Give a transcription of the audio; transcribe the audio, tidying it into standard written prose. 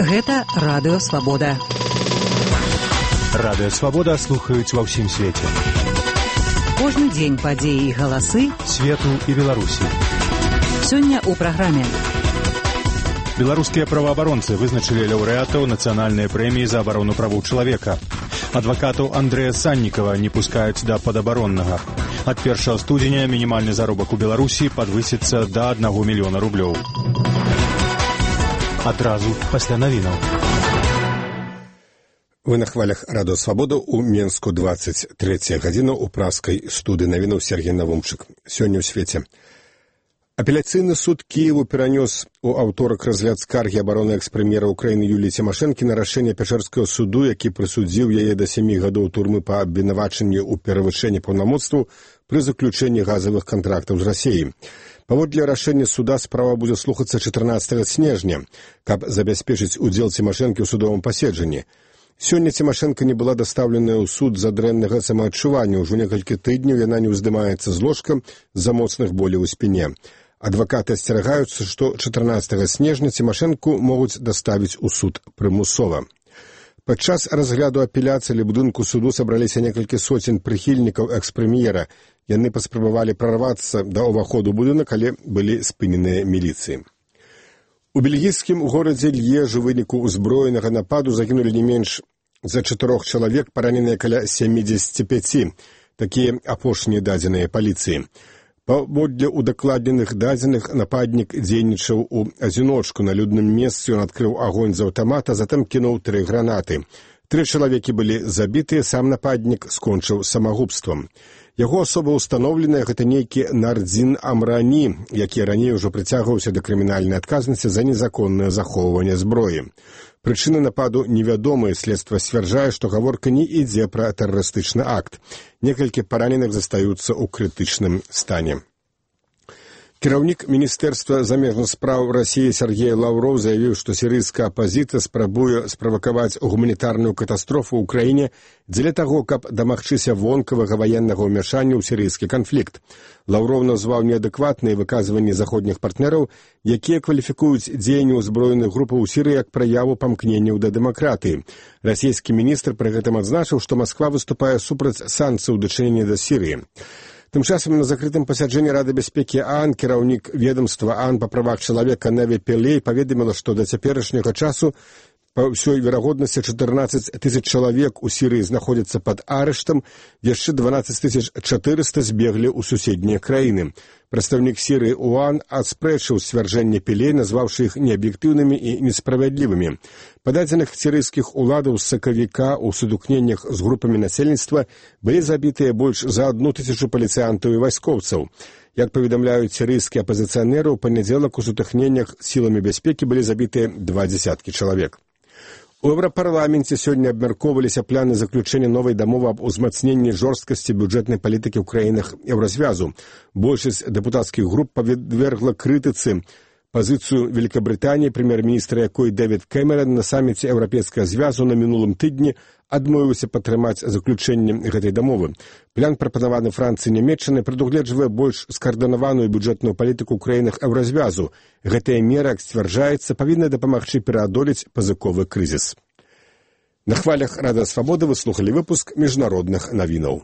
Гэта Радыё Свабода. Радыё Свабода слухаюць ва ўсім свеце. Кожны дзень падзеі і галасы свету і Беларусі. Сёння ў праграме. Беларускія праваабаронцы вызначылі лаўрэатаў нацыянальнай прэміі за абарону правоў чалавека. Адвакатаў Андрэя Саннікава не пускаюць да падабароннага. Ад 1 студзеня мінімальны заробак у Беларусі падвысіцца да 1 мільёна рублёў. Адразу пасля навінаў. Вы на хвалях Радыё Свабода ў Менску 23 гадзіна ў праскай студыі навінаў Сергей Навумчык. Сёння ў свеце. Апеляцыйны суд Кіеву перанёс у аўторак разгляд скаргі абароны экс-прэм'ера Украіны Юліі Цімашэнкі на рашэнне Пячэрскага суду, які прысудзіў яе да 7 гадоў турмы па абвінавачанні ў перавышэнні паўнамоцтваў пры заключэнні газавых кантрактаў з Расіяй. Паводле рашэння суда справа будзе слухацца 14 снежня, каб забяспечыць удзел Цімашэнкі ў судовым паседжанні. Сёння Цімашэнка не была дастаўленая ў суд з-за дрэннага самаадчування. Ужо некалькі тыдняў яна не ўздымаецца з ложка з-за моцных боляў у спіне. Адвакаты асцерагаюцца, што 14 снежня Цімашэнку могуць даставіць у суд прымусова. Падчас разгляду апеляцыі ля будынку суду сабраліся некалькі соцень прыхільнікаў экс-прэм'ера. Яны паспрабавалі прарвацца да ўваходу будынак, але былі спыненыя міліцыі. У бельгійскім горадзе Льеж у выніку ўзброенага нападу загінулі не менш за 4 чалавек, параненыя каля 75. Такія апошнія дадзеныя паліцыі. Паводле удакладненых дадзеных нападнік дзейнічаў у адзіночку. На людным месцы ён адкрыў агонь з аўтамата, затым кінуў 3 гранаты. 3 чалавекі былі забітыя, сам нападнік скончыў самагубствам. Яго асоба ўстаноўленая, гэта нейкі Нардзін Амрані, які раней ужо прыцягваўся да крымінальнай адказнасці за незаконнае захоўванне зброі. Прычыны нападу невядомыя, следства сцвярджае, што гаворка не ідзе пра тэрарыстычны акт. Некалькі параненых застаюцца ў крытычным стане. Кіраўнік Міністэрства замежных спраў Расіі Сергей Лаўроў заявіў, што сірыйская апазіцыя спрабуе справакаваць гуманітарную катастрофу ў краіне дзеля таго, каб дамагчыся вонкавага ваеннага ўмяшання ў сірыйскі канфлікт. Лаўроў назваў неадэкватныя выказванні заходніх партнераў, якія кваліфікуюць дзеянні ўзброеных групаў у Сірыі як праяву памкненняў да дэмакратыі. Расійскі міністр пры гэтым адзначыў, што Масква выступае супраць санкцый у дачыненні да Сірыі. Тым часам на закрытым пасяджэнні Рады бяспекі ААН кіраўнік ведомства ААН па правах чалавека Неві Пілей паведаміла, што да цяперашняга часу па ўсёй верагоднасці 14 000 чалавек у Сірыі знаходзяцца пад арыштам, яшчэ 12 400 збеглі ў суседнія краіны. Прадстаўнік Сірыі ОАН аспрэчыў сцвярджэнне Пілей, назваўшы іх неаб'ектыўнымі і несправядлівымі. Па дадзеных сірыйскіх уладаў з сакавіка ў сутыкненнях з групамі насельніцтва былі забітыя больш за 1000 паліцыянтаў і вайскоўцаў. Як паведамляюць сірыйскія апазіцыянеры, у панядзелак у сутыкненнях сіламі бяспекі былі забітыя 20 чалавек. У Еўрапарламенце сёння абмяркоўваліся планы заключэння новай дамовы аб узмацненні жорсткасці бюджэтнай палітыкі ў краінах Еўразвязу. Большасць дэпутацкіх груп падвергла крытыцы пазіцыю Великабрытаніі, прэм'ер-міністра якой Дэвід Кэмерон на саміце Еўрапейскага звязу на мінулым тыдні адмовіўся падтрымаць заключэнне гэтай дамовы. План, прапанаваны Францыі і Нямецчынай, прадугледжвае больш скаардынаваную бюджэтную палітыку ў краінах Еўразвязу. Гэтая мера, як сцвярджаецца, павінна дапамагчы пераадолець пазыковы крызіс. На хвалях Радыё Свабода вы слухалі выпуск міжнародных навінаў.